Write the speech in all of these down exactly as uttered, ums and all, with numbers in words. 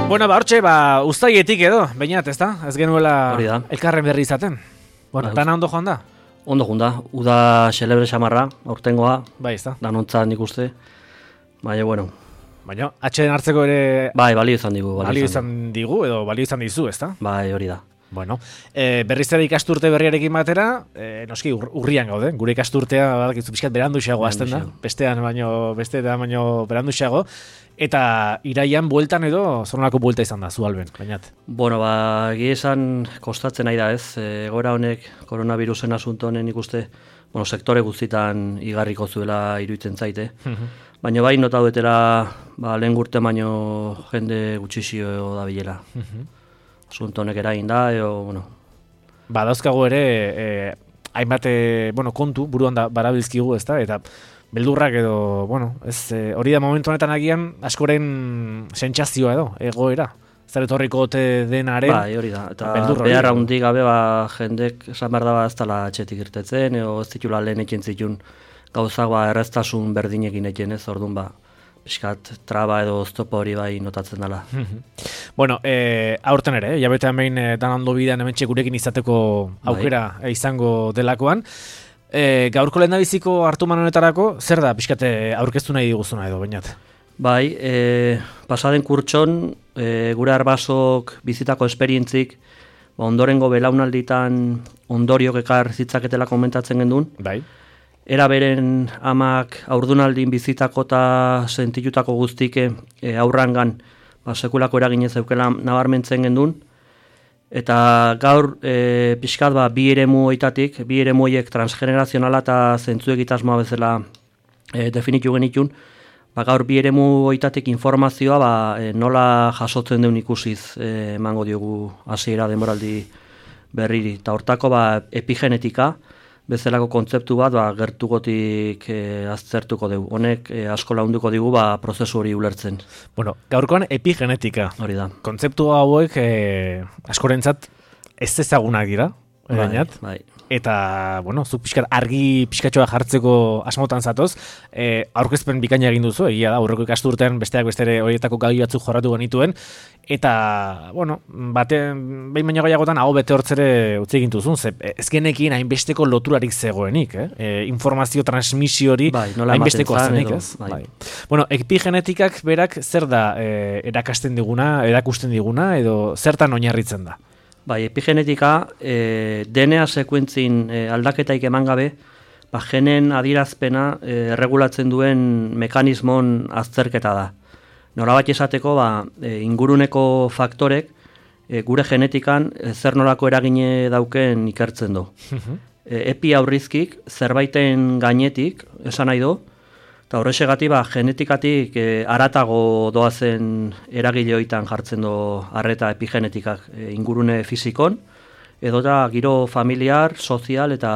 Bueno, ba, hortxe, ba, uztaietik edo, bainat, ez da? Ez genuela elkarren berri izaten. Bueno, ba, dana ondo joan da? Ondo joan da, uda xelebre xamarra, aurtengoa, bai, ez da? Danontzat nik uste, baina, bueno. Baina, atxeden hartzeko ere... Bai, balio izan digu. Balio izan digu, edo balio izan dizu, ez da? Bai, hori da. Bueno, e, berriz ere ikasturte berriarekin batera, e, noski ur, urrian gaude, gure ikasturtea badakizu pixkat beranduxeago hasten da, bestean baino, bestean baino beranduxeago, eta iraian bueltan edo zornako buelta izan da, zu Alben, bainat. Bueno, ba, egia esan kostatzen nahi da ez, egoera honek koronavirusen asunto honen ikuste, bueno, sektore guztitan igarriko zuela iruditzen zaite, baina bai nota duetera ba, lehen gurte baino jende gutxixio da bilela. Asunto honek eragin da, edo, bueno... Ba, dauzkago ere, eh, hainbat, eh, bueno, kontu, buruan da, barabilzkigu, ez da, eta beldurrak edo, bueno, ez, eh, hori da momentu honetan agian, askoren sentsazioa edo, egoera. Zer etorriko ote denaren... Bai, hori da, eta behar handik gabe, ba, jendek esan behar da, ba, ez dala etxetik irtetzen, edo ez ditula lehen ekin zitun gauzak, ba, erreztasun berdinekin ekin ez, orduan, ba, piskat traba edo oztopo hori bai notatzen dela. Bueno, e, aurten ere, jabetean behin e, dan ondo bidean hemen gurekin izateko aukera bai. izango delakoan. E, gaurko lehendabiziko hartuman honetarako, zer da piskat aurkeztu nahi diguzuna edo, bainat? Bai, e, pasaden kurtson, e, gure arbasok bizitako esperientzik, ba, ondorengo belaunalditan ondoriok ekar zitzaketela komentatzen gendun. Bai. Era beren amak aurdunaldin bizitako eta sentitutako guztike e, aurrangan ba, sekulako eraginez eukela nabarmentzen gendun. Eta gaur e, pixkat ba, bi eremu oitatik, bi eremu horiek transgenerazionala eta zentzu egitasmoa bezala e, definitu genitun. Ba, gaur bi eremu oitatik informazioa ba, e, nola jasotzen deun ikusiz e, emango diogu hasiera denboraldi berriri. Eta hortako ba, epigenetika, bezalako kontzeptu bat ba, gertugotik e, aztertuko dugu. Honek e, asko launduko digu ba, prozesu hori ulertzen. Bueno, gaurkoan epigenetika. Hori da. Kontzeptu hauek e, askorentzat ez ezagunak dira. Bai, bai. Eta, bueno, zu pixkat argi pixkatxoa jartzeko asmotan zatoz, e, aurkezpen bikaina egin duzu, egia da, aurreko ikasturtean besteak bestere horietako gai batzuk jorratu genituen, eta, bueno, bate, behin baino gehiagotan hau bete hortzere utzi egin duzun, ze ez genekin hainbesteko loturarik zegoenik, eh? E, informazio transmisio hori bai, hainbesteko zenik, ez? Bai. Bai. Bueno, epigenetikak berak zer da e, erakasten diguna, erakusten diguna, edo zertan oinarritzen da? Bai, epigenetika e, D N A sekuentzin e, aldaketaik eman gabe, ba, genen adierazpena e, erregulatzen duen mekanismon azterketa da. Nolabait esateko, ba, e, inguruneko faktorek e, gure genetikan e, zer nolako eragine dauken ikertzen du. e, epi aurrizkik zerbaiten gainetik, esan nahi du, eta horrexegatik ba, genetikatik e, aratago doazen eragile hoitan jartzen du arreta epigenetikak e, ingurune fizikon, edo da giro familiar, sozial eta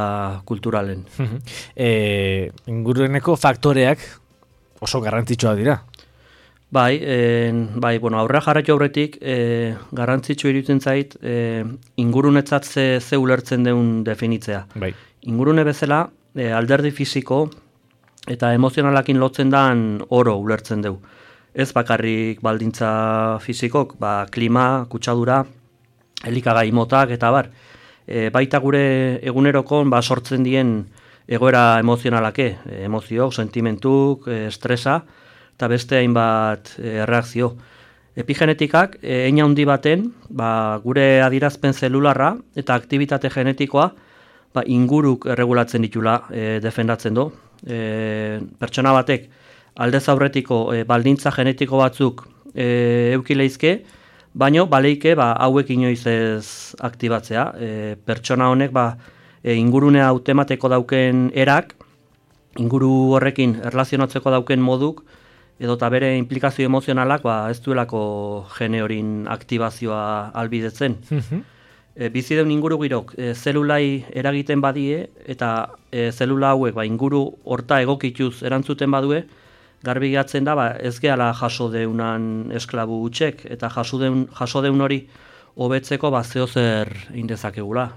kulturalen. e, inguruneko faktoreak oso garrantzitsua dira. Bai, e, bai bueno, aurrera jarraitu aurretik e, garrantzitsu iruditzen zait e, ingurunetzat ze, ze ulertzen deun definitzea. Bai. Ingurune bezala e, alderdi fisiko eta emozionalakin lotzen dan oro ulertzen dugu. Ez bakarrik baldintza fizikok, ba, klima, kutsadura, elikagai motak eta bar. E, baita gure egunerokon ba, sortzen dien egoera emozionalake, e, emoziok, sentimentuk, e, estresa, eta beste hainbat e, reakzio. Epigenetikak, e, eina handi baten, ba, gure adirazpen zelularra eta aktibitate genetikoa ba, inguruk erregulatzen ditula e, defendatzen du. E, pertsona batek aldez aurretiko e, baldintza genetiko batzuk e, eukileizke, baino baleike ba, hauek inoiz ez aktibatzea. E, pertsona honek ba, e, ingurunea hautemateko dauken erak, inguru horrekin erlazionatzeko dauken moduk, edo eta bere implikazio emozionalak ba, ez duelako gene horin aktibazioa albidetzen. E, bizi deun inguru girok e, zelulai eragiten badie eta e, zelula hauek ba, inguru horta egokituz erantzuten badue, garbi gehatzen da ba, ez gehala jaso deunan esklabu utxek eta jaso deun, jaso deun hori hobetzeko ba, zeozer indezakegula.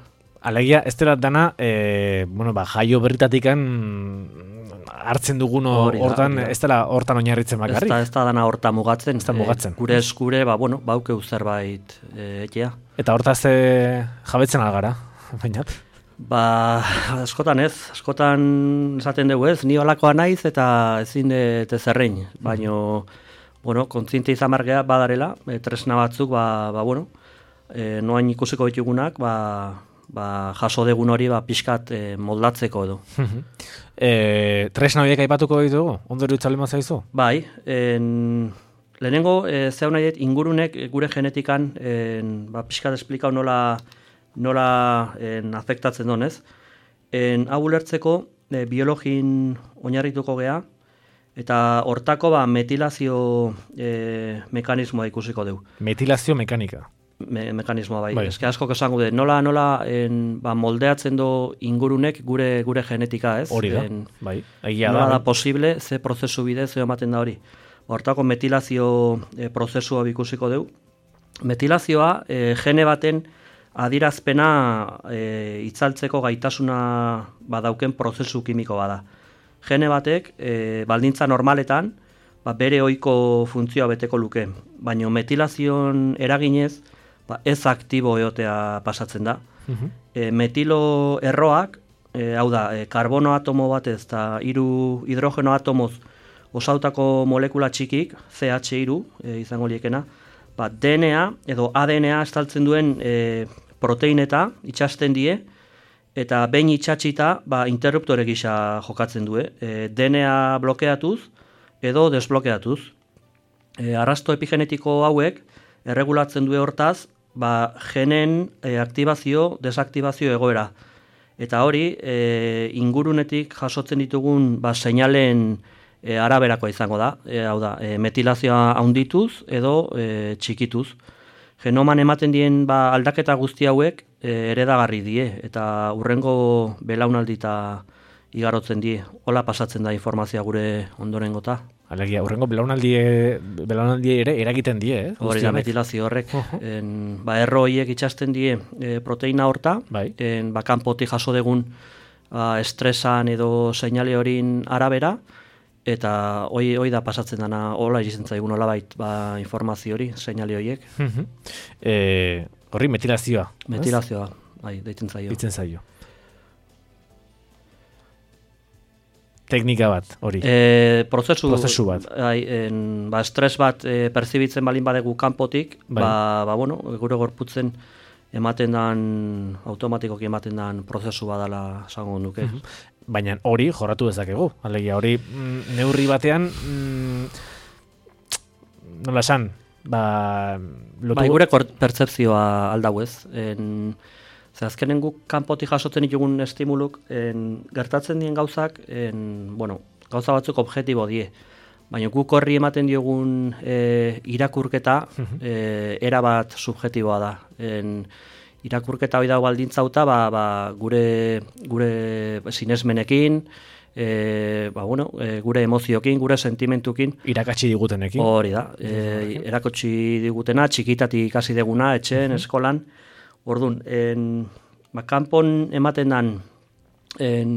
Alegia, ez dela dana, e, bueno, ba, jaio berritatikan hartzen dugun hortan, ez dela hortan oinarritzen bakarrik. Ez da, ez da dana horta mugatzen. Ez da mugatzen. E, gure eskure, ba, bueno, baukeu zerbait e, etea. Eta hortaz e, jabetzen algara, bainat? Ba, askotan ez, askotan esaten dugu ez, ni holakoa naiz eta ezin dut zerrein, baino, bueno, kontziente izan margea badarela, e, tresna batzuk, ba, ba bueno, e, noain ikusiko ditugunak, ba, ba, jaso degun hori ba, pixkat e, moldatzeko edo. e, tresna horiek aipatuko ditugu? Ondori utzalema zaizu? Bai, en, lehenengo, e, zeu nahi dut, ingurunek gure genetikan en, ba, pixkat esplikau nola, nola en, afektatzen donez. En, hau ulertzeko, e, biologin oinarrituko gea, eta hortako ba, metilazio e, mekanismoa ikusiko dugu. Metilazio mekanika? Me, mekanismoa bai. bai. Eske asko esango dut, nola, nola en, ba, moldeatzen do ingurunek gure gure genetika, ez? Hori da, en, bai. Egia nola da, da posible, ze prozesu bidez ze ematen da hori. Hortako metilazio e, prozesua ikusiko dugu. Metilazioa e, gene baten adirazpena e, itzaltzeko gaitasuna badauken prozesu kimiko bada. Gene batek e, baldintza normaletan ba, bere ohiko funtzioa beteko luke, baina metilazion eraginez ba, ez aktibo egotea pasatzen da. Uh-huh. E, metilo erroak, e, hau da, e, karbono atomo batez eta hiru hidrogeno atomoz osautako molekula txikik, C H hiru e, izango liekena, ba, D N A edo A D N A estaltzen duen e, proteineta itxasten die, eta behin itxatxita ba, interruptore gisa jokatzen du. E, D N A blokeatuz edo desblokeatuz. E, arrasto epigenetiko hauek erregulatzen du hortaz ba, genen e, aktibazio, desaktibazio egoera. Eta hori e, ingurunetik jasotzen ditugun ba, seinalen e, araberakoa izango da. E, hau da, e, metilazioa handituz edo e, txikituz. Genoman ematen dien ba, aldaketa guzti hauek e, eredagarri die eta hurrengo belaunaldita igarotzen die. Hola pasatzen da informazioa gure ondorengota. Alegia, hurrengo belaunaldi, belaunaldi ere eragiten die, eh? Hori da metilazio horrek. Uh-huh. en, ba, erro horiek itxasten die e, proteina horta, bai. en, ba, kanpotik jaso degun ba, estresan edo seinale horin arabera, eta hoi, hoi da pasatzen dana, hola irizten zaigun olabait ba, informazio hori, seinale horiek. Uh-huh. e, horri metilazioa. Metilazioa, bai, deitzen zaio. Deitzen zaio. Teknika bat, hori. E, prozesu, prozesu bat. Ai, en, ba, estres bat e, perzibitzen balin badegu kanpotik, bai. ba, ba, bueno, gure gorputzen ematen dan, automatikoki ematen dan prozesu badala esango nuke. Uh-huh. Baina hori jorratu dezakegu. Alegia, hori mm, neurri batean, mm, nola esan, ba, lotu... Bai, gure pertzepzioa aldau ez. En, Ze azkenen guk kanpotik jasotzen ditugun estimuluk en, gertatzen dien gauzak, en, bueno, gauza batzuk objektibo die. Baina guk horri ematen diogun e, irakurketa e, erabat subjektiboa da. En, irakurketa hori dago baldintzauta ba, ba, gure, gure sinesmenekin, e, ba, bueno, e, gure emoziokin, gure sentimentukin. Irakatsi digutenekin. Hori da. E, irakatsi digutena, txikitatik ikasi deguna, etxen, uh-huh. eskolan. Orduan, en, ba, kanpon ematen dan en,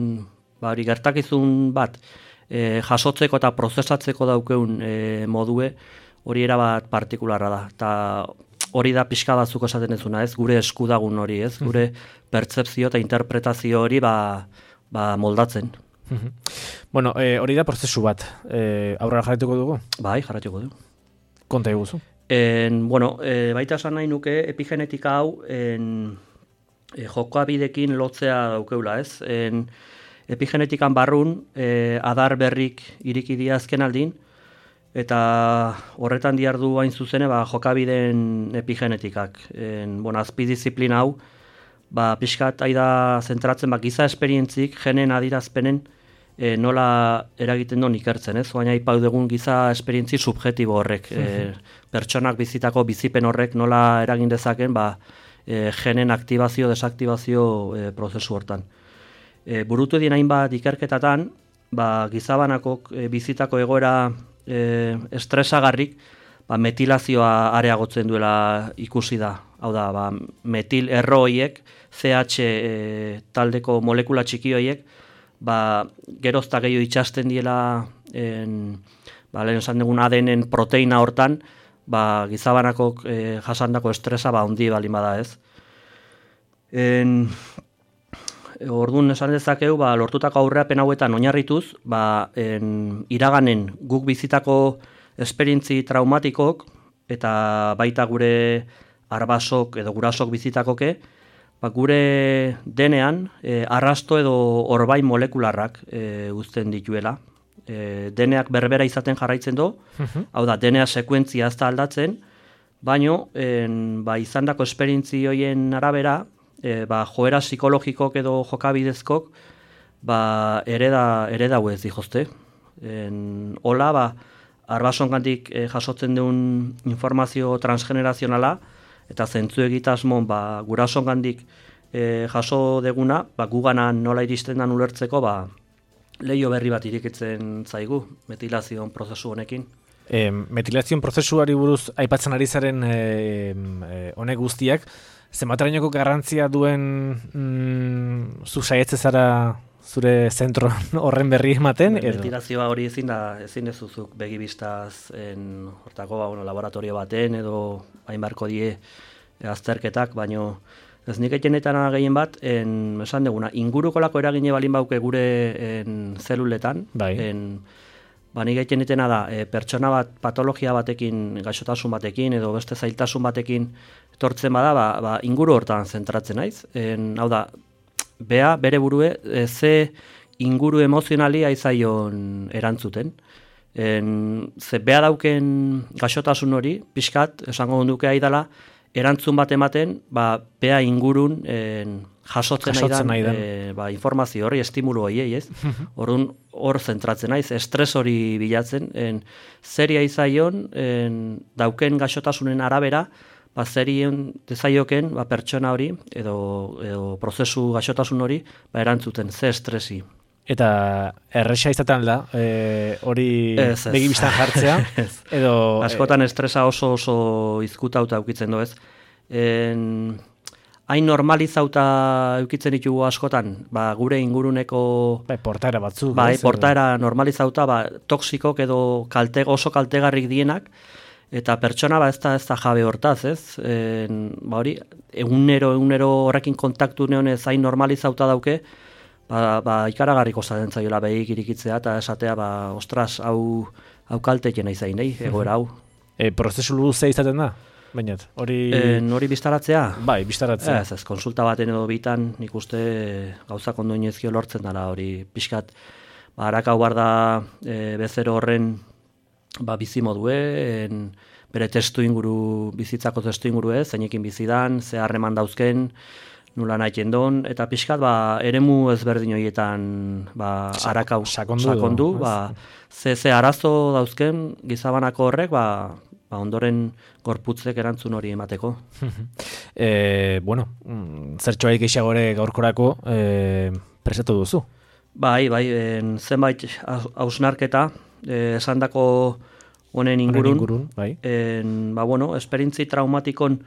ba, gertakizun bat e, jasotzeko eta prozesatzeko daukeun e, modue hori erabat partikularra da. Eta hori da pixka batzuk esaten ezuna, ez? Gure eskudagun hori, ez? Gure pertzepzio eta interpretazio hori ba, ba, moldatzen. Bueno, e, hori da prozesu bat. E, aurrera jarretuko dugu? Bai, jarretuko dugu. Konta eguzu. En, bueno, e, baita esan nahi nuke epigenetika hau en, e, jokoabidekin lotzea daukeula, ez? En, epigenetikan barrun e, adar berrik iriki dira azken aldin, eta horretan diardu hain zuzene ba, jokabideen epigenetikak. En, bueno, azpidisziplina hau, ba, pixkat aida zentratzen ba, giza esperientzik, genen adirazpenen, E, nola eragiten duen ikertzen, ez? Baina ipau dugun giza esperientzi subjektibo horrek, e, pertsonak bizitako bizipen horrek nola eragin dezaken ba, e, genen aktibazio, desaktibazio e, prozesu hortan. E, burutu dien hainbat ikerketatan, ba, gizabanako e, bizitako egoera e, estresagarrik ba, metilazioa areagotzen duela ikusi da. hau da, ba, metil erro horiek, C H e, taldeko molekula txiki horiek, ba, gerozta gehiago itxasten diela, en, ba, lehen esan dugun A D N-en proteina hortan, ba, gizabanako e, jasandako estresa ba, ondi balin bada ez. En, Orduan esan dezakegu, ba, lortutako aurreapen hauetan oinarrituz, ba, en, iraganen guk bizitako esperientzi traumatikok eta baita gure arbasok edo gurasok bizitakoke, ba, gure denean e, arrasto edo orbain molekularrak e, uzten dituela. E, deneak berbera izaten jarraitzen du, uh-huh. Hau da, denea sekuentzia ez da aldatzen, baino en, ba, izandako esperientzi hoien arabera, E, ba, joera psikologikok edo jokabidezkok ba, ereda, ereda huez dijozte. En, hola, ba, arbasongandik e, jasotzen duen informazio transgenerazionala eta zentzu egitasmon ba, gurasongandik e, jaso deguna, ba, guganan nola iristen dan ulertzeko ba, leio berri bat irikitzen zaigu metilazion prozesu honekin. E, metilazion prozesuari buruz aipatzen ari zaren e, e, honek guztiak, zenbaterainoko garrantzia duen mm, zu saietze zara zure zentro horren berri ematen? Metilazioa hori ezin da, ezin ez duzuk begibistaz en, hortako ba, bueno, laboratorio baten edo hain barko die azterketak, baino ez nik etenetan gehien bat, en, esan deguna, ingurukolako eragine balin bauke gure en, zeluletan, bai. en, ba, nik etenetena da, e, pertsona bat patologia batekin, gaixotasun batekin edo beste zailtasun batekin etortzen bada, ba, ba, inguru hortan zentratzen naiz. En, hau da, bea, bere burue, e, ze inguru emozionali aizaion erantzuten. En, ze bea dauken gaixotasun hori, pixkat, esango duke aidala, erantzun bat ematen, ba, bea ingurun en, jasotzen, jasotzen nahi dan, e, ba, informazio hori, estimulu hori, ez? Orduan, hor zentratzen naiz, estres hori bilatzen, en, zeri aizaion, en, dauken gaixotasunen arabera, ba, zerien dezaioken ba, pertsona hori edo, edo prozesu gaixotasun hori ba, erantzuten ze estresi. Eta erresa izaten da, e, hori begibistan jartzea? Edo, askotan estresa oso oso izkutauta eukitzen du ez. En, hain normalizauta eukitzen ditugu askotan, ba, gure inguruneko... Bai, portaera batzuk. Bai, portaera normalizauta, ba, toksikok edo kalte, oso kaltegarrik dienak, eta pertsona ba ez da, ez da jabe hortaz, ez? En, ba hori, egunero, egunero horrekin kontaktu neonez hain normalizauta dauke, ba, ba ikaragarriko zaten zaiola behik irikitzea, eta esatea, ba, ostras, hau, hau kaltekena izain, nahi, egoera hau. E, prozesu luze izaten da? Bainat, hori... En, hori biztaratzea? Bai, biztaratzea. Ez, ez, konsulta baten edo bitan, nik uste gauzak ondo inezkio lortzen dela, hori pixkat, ba, harakau bar da e, bezero horren ba, bizi modue, en, bere testu inguru, bizitzako testu inguru ez, zeinekin bizidan, ze harreman dauzken, nula nahi jendon, eta pixkat, ba, eremu ezberdin horietan, ba, harakau sakondu, sakondu ba, ze, ze arazo dauzken gizabanako horrek, ba, ba, ondoren gorputzek erantzun hori emateko. e, bueno, zertxoaik eixagore gaurkorako e, presatu duzu? Bai, bai, en, zenbait hausnarketa, eh, esandako honen ingurun, ingurun bai. En, ba, bueno, esperientzi traumatikon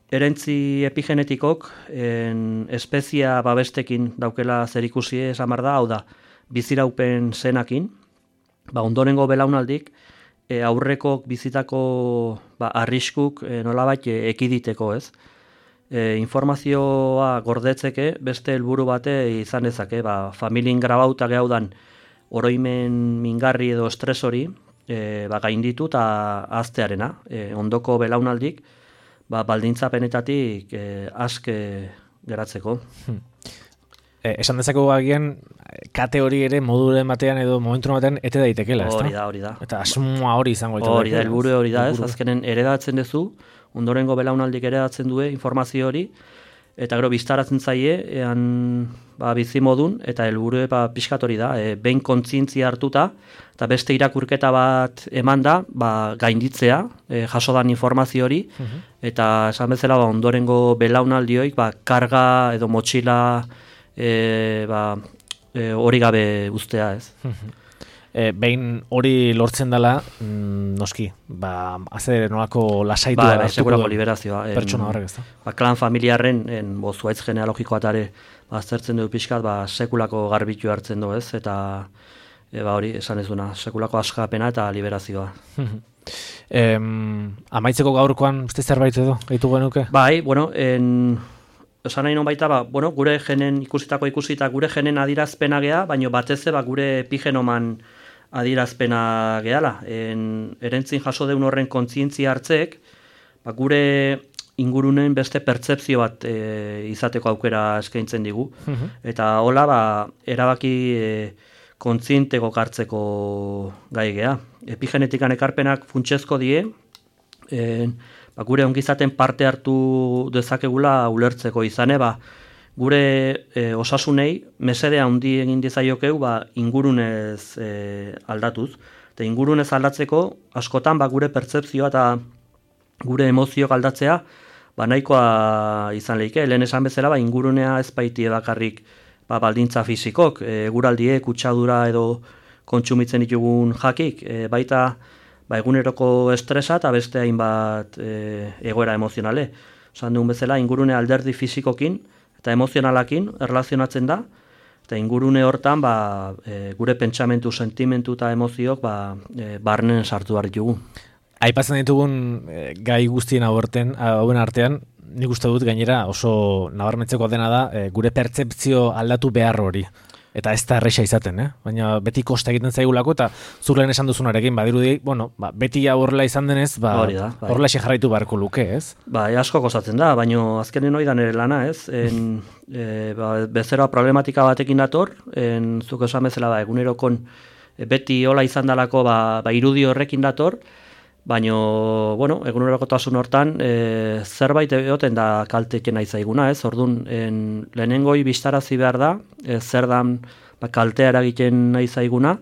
erentzi epigenetikok en, espezia babestekin daukela zerikusi esan behar da, hau da, biziraupen zenakin, ba, ondorengo belaunaldik, e, aurrekok bizitako ba, arriskuk e, nolabait e, ekiditeko, ez? E, informazioa gordetzeke beste helburu bate izan dezake, ba, familien grabauta gehaudan oroimen mingarri edo estres hori e, ba, gainditu eta aztearena. E, ondoko belaunaldik ba, baldintzapenetatik e, aske geratzeko. Hmm. E, esan dezako agian kate hori ere moduren batean edo momentu batean ete daitekela, ezta? Hori da, hori da. Eta asmoa hori izango ditu. Hori da, helburu hori da, ez? Azkenen eredatzen duzu, ondorengo belaunaldik eredatzen due informazio hori, eta gero biztaratzen zaie, ean ba, bizi modun, eta helburu ba, pixkat hori da, e, behin kontzientzia hartuta, eta beste irakurketa bat eman da, ba, gainditzea, e, jasodan informazio hori, uh-huh. Eta esan bezala ba, ondorengo belaunaldioik, ba, karga edo motxila e, ba, e, hori gabe ustea, ez. Uh-huh. e, behin hori lortzen dela, mm, noski, ba, haze nolako lasaitua ba, segurako liberazioa. Pertsona horrek, ez da? Ba, klan familiarren, en, bo, zuaitz genealogikoa tare, ba, aztertzen du pixkat, ba, sekulako garbitu hartzen du, ez, eta e, ba, hori, esan ez duna, sekulako askapena eta liberazioa. em, amaitzeko gaurkoan, beste zerbait edo, gaitu genuke? Bai, bueno, en... Esan nahi non baita, ba, bueno, gure genen ikusitako ikusita, gure genen adirazpena gea, baina batez ba, gure epigenoman adirazpena gehala. En, erentzin jaso deun horren kontzientzia hartzek, ba, gure ingurunen beste pertzepzio bat e, izateko aukera eskaintzen digu. Uh-huh. Eta hola, ba, erabaki e, kontzienteko hartzeko gai gea. Epigenetikan ekarpenak funtsezko die, en, ba, gure ongizaten parte hartu dezakegula ulertzeko izane, ba, gure e, osasunei mesede handi egin dizaiokeu ba, ingurunez e, aldatuz. Eta ingurunez aldatzeko askotan ba, gure pertzepzioa eta gure emozioak aldatzea ba, nahikoa izan lehike. Lehen esan bezala ba, ingurunea ez baitie bakarrik ba, baldintza fizikok, e, eguraldiek, kutsadura edo kontsumitzen ditugun jakik, e, baita ba, eguneroko estresa eta beste hainbat e, egoera emozionale. Osan duen bezala, ingurune alderdi fizikokin eta emozionalakin erlazionatzen da, eta ingurune hortan ba, e, gure pentsamentu, sentimentu eta emozioak ba, e, barnen sartu behar ditugu. Aipatzen ditugun e, gai guztien hauen artean, nik uste dut gainera oso nabarmentzeko dena da e, gure pertzepzio aldatu behar hori. Eta ez da erresa izaten, eh? Baina beti kosta egiten zaigulako, eta zur lehen esan duzunarekin, badirudi, bueno, ba, beti horrela izan denez, ba, da, bai. Horrela jarraitu beharko luke, ez? Ba, e, asko kostatzen da, baina azkenen hori da nire lana, ez? En, e, ba, bezeroa problematika batekin dator, en, zuk esan bezala, ba, egunerokon e, beti hola izan dalako, ba, ba, irudi horrekin dator, baina, bueno, egunerokotasun hortan, e, zerbait egoten da kalteken aizaiguna, ez? Orduan, en, lehenengoi bistarazi behar da, e, zer dan ba, kaltea eragiten aizaiguna,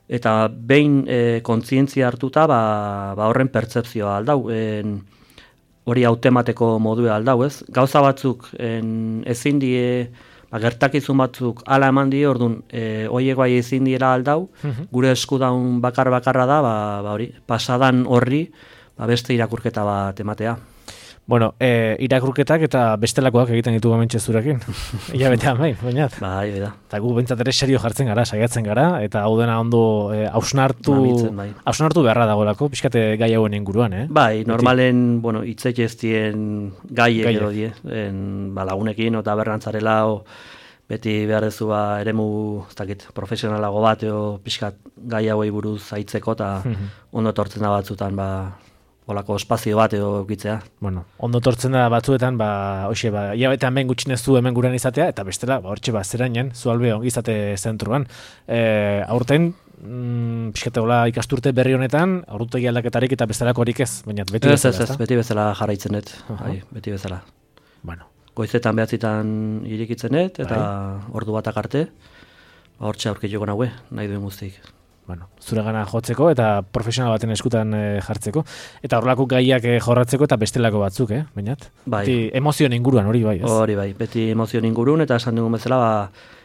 eta behin e, kontzientzia hartuta, ba, ba horren pertzepzioa aldau, en, hori hautemateko modua aldau, ez? Gauza batzuk en, ezin die, ba, gertakizun batzuk ala eman die, orduan, e, oiek bai ezin diera aldau, uh-huh. Gure eskudaun bakar-bakarra da, ba, ba hori, pasadan horri, ba, beste irakurketa bat ematea. Bueno, e, irakurketak eta bestelakoak egiten ditu gamentxe zurekin. Ia betean bai, bainat. Bai, beda. Eta gu bentsat ere serio jartzen gara, saiatzen gara, eta hau dena ondo e, hausnartu, bai. hausnartu beharra dagoelako, pixkate gai hauen inguruan, eh? Bai, normalen, Beti. bueno, itzek ez dien gaiek edo die, en, ba, lagunekin, eta berrantzarela, o, beti behar dezu ba, eremu, ez dakit, profesionalago bat, o, pixkat gai hauei buruz aitzeko, eta ondo tortzen da batzutan, ba, olako espazio bat edo gitzea. Bueno, ondo tortzen da batzuetan, ba, hoxe, ba, ia betean behin gutxinez zu hemen gurean izatea, eta bestela, ba, hortxe, ba, zerainen, zualbe ongizate zentruan. E, aurten, mm, pixkate hola ikasturte berri honetan, aurrutegi aldaketarik eta bestelakorik ez, baina beti ez, bezala, ez, ez, beti bezala jarraitzen dut, uh-huh. Hai, beti bezala. Bueno. Goizetan behatzitan irikitzen dut, eta bai. Ordu batak arte, ba, hortxe aurkituko naue, nahi duen guztik. Bueno, zure gana jotzeko eta profesional baten eskutan e, jartzeko. Eta horrelako gaiak e, jorratzeko eta bestelako batzuk, eh? Bainat? Bai. Beti emozioen inguruan hori bai, ez? Hori bai, beti emozioen ingurun eta esan dugun bezala ba,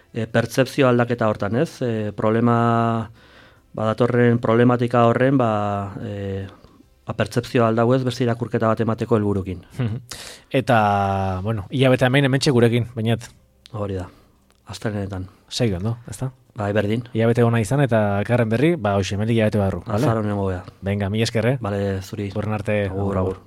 e, pertzepzio aldaketa hortan, ez? E, problema, ba, datorren problematika horren, ba, e, ba, pertzepzio aldau ez, beste irakurketa bat emateko helburukin. Eta, bueno, hilabete hemen hementxe gurekin, bainat? Hori da, astelenetan. Segi ondo, ezta? Bai, berdin. Hilabete ona izan eta elkarren berri, ba hoxe, hemendik hilabete barru. Azar honen gobea. Venga, mila esker, eh? Bale, zuri. Horren arte, agur, agur.